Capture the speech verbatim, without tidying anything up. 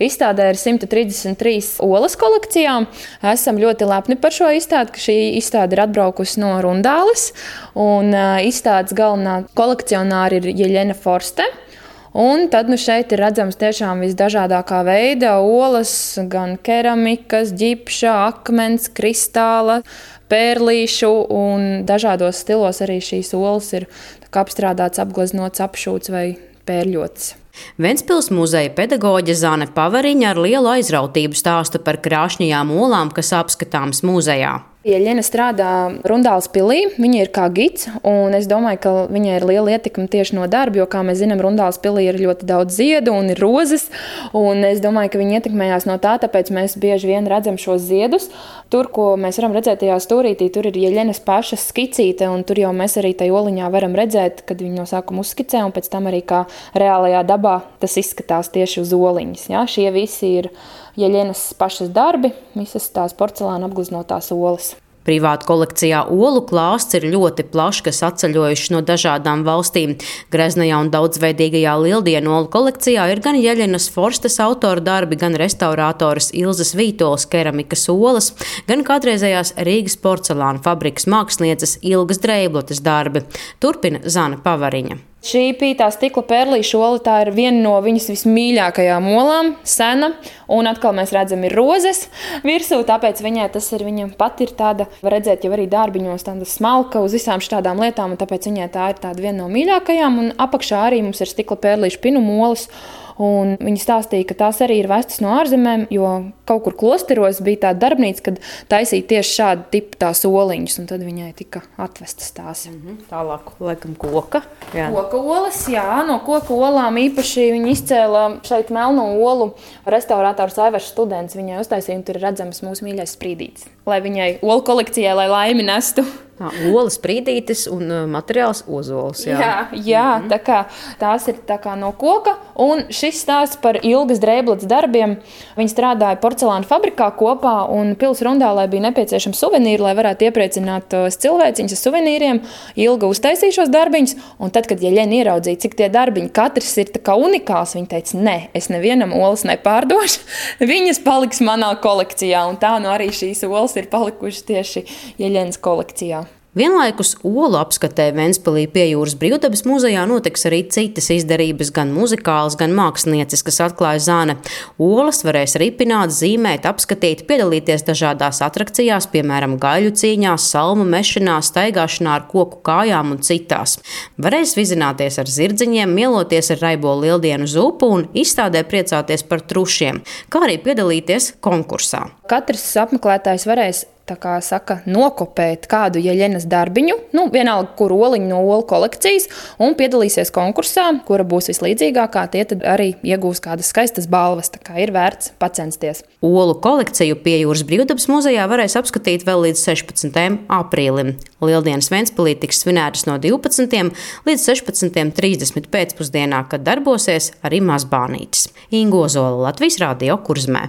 Izstādē ir simt trīsdesmit trīs olas kolekcijām. Esam ļoti lepni par šo izstādi, ka šī izstāde ir atbraukusi no Rundāles. Un izstādes galvenā kolekcionāra ir Jeļena Forste. Un tad nu, šeit ir redzams tiešām visdažādākā veida olas, gan keramikas, ģipša, akmens, kristāla, pērlīšu un dažādos stilos arī šīs olas ir apstrādāts, apgleznots, apšūts vai pērļots. Ventspils muzeja pedagoģe Zane Pavariņa ar lielu aizrautību stāsta par krāšņajām olām, kas apskatāmas muzejā. Jeļena strādā Rundāles pilī, viņa ir kā gids, un es domāju, ka viņai ir liela ietekme tieši no darba, jo, kā mēs zinām, Rundāles pilī ir ļoti daudz ziedu un ir rozes, un es domāju, ka viņa ietekmējās no tā, tāpēc mēs bieži vien redzam šos ziedus. Tur, ko mēs varam redzēt tajā stūrītī, tur ir Jeļenas pašas skicīte, un tur jau mēs arī tajā oliņā varam redzēt, kad viņa no sākuma uzskicē, un pēc tam arī kā reālajā dabā tas izskatās tieši uz oliņas. Ja? Šie visi ir Jeļenas pašas darbi, visas tās porcelāna apgleznotās olas. Privātu kolekcijā olu klāsts ir ļoti plašs, kas atceļojuši no dažādām valstīm. Greznajā un daudzveidīgajā Lieldienu olu kolekcijā ir gan Jeļenas Forstes autora darbi, gan restaurātoras Ilzes Vītoles keramikas olas, gan kādreizējās Rīgas porcelāna fabrikas mākslinieces Ilgas Dreiblotes darbi. Turpina Zane Pavariņa. Šī pītā stikla pērlīšu ola, tā ir viena no viņas vismīļākajām olām, sena, un atkal mēs redzam ir rozes virsū, tāpēc viņai tas ir, viņa pat ir tāda, var redzēt jau arī dārbiņos, tāda smalka uz visām šādām lietām, un tāpēc viņai tā ir tāda viena no mīļākajām, un apakšā arī mums ir stikla pērlīšu pinumu olas. Un viņi stāstīja, ka tās arī ir vestas no ārzemēm, jo kaut kur klosteros bija tāda darbnīca, kad taisīja tieši šādu tipu tās oliņas, un tad viņai tika atvestas tās. Mm-hmm. Tālāk, laikam, koka. Jā. Koka olas, jā, no koka olām īpaši viņi izcēla šeit melno olu restaurātors Aivars Students. Viņai uztaisīja, un tur ir redzams mūsu mīļais sprīdītis, lai viņai olu kolekcijai, lai laimi nestu. Tā, olas sprīdītis un materiāls ozols. Jā, jā, jā mm-hmm. tā kā, tās ir tā kā no koka. Un šis stāsts par Ilgas Dreiblotes darbiem. Viņi strādāja porcelāna fabrikā kopā, un pils Rundālē bija nepieciešams suvenīri, lai varētu iepriecināt cilvēciņus ar suvenīriem. Ilga uztaisīja šos darbiņus, un tad, kad Jeļena ieraudzīja, cik tie darbiņi katrs ir tā kā unikāls, viņa teica, ne, es nevienam olas nepārdošu, viņas paliks manā kolekcijā, un tā nu arī šīs olas ir palikušas tieši Jeļenas kolekcijā. Vienlaikus olu apskatē Ventspilī pie Jūras Brīvdabas muzejā notiks arī citas izdarības, gan muzikālas, gan mākslinieciskas, atklāja Zane. Olas varēs ripināt, zīmēt, apskatīt, piedalīties dažādās atrakcijās, piemēram, gaļu cīņās, salmu mešanā, staigāšanā ar koku kājām un citās. Varēs vizināties ar zirdziņiem, mieloties ar raibo Lieldienu zupu un izstādē priecāties par trušiem, kā arī piedalīties konkursā. Katrs apmeklētājs varēs tā kā saka, nokopēt kādu Jeļenas darbiņu, nu, vienalga, kur oliņu no olu kolekcijas, un piedalīsies konkursā, kura būs vislīdzīgākā, tie tad arī iegūs kādas skaistas balvas, tā kā ir vērts pacensties. Olu kolekciju pie Jūras Brīvdabas muzejā varēs apskatīt vēl līdz sešpadsmitajam aprīlim. Lieldienas Ventspilī tiks svinētas no divpadsmitiem līdz sešpadsmitiem trīsdesmit pēcpusdienā, kad darbosies arī mazbānītis. Inga Ozola, Latvijas Radio Kurzmē.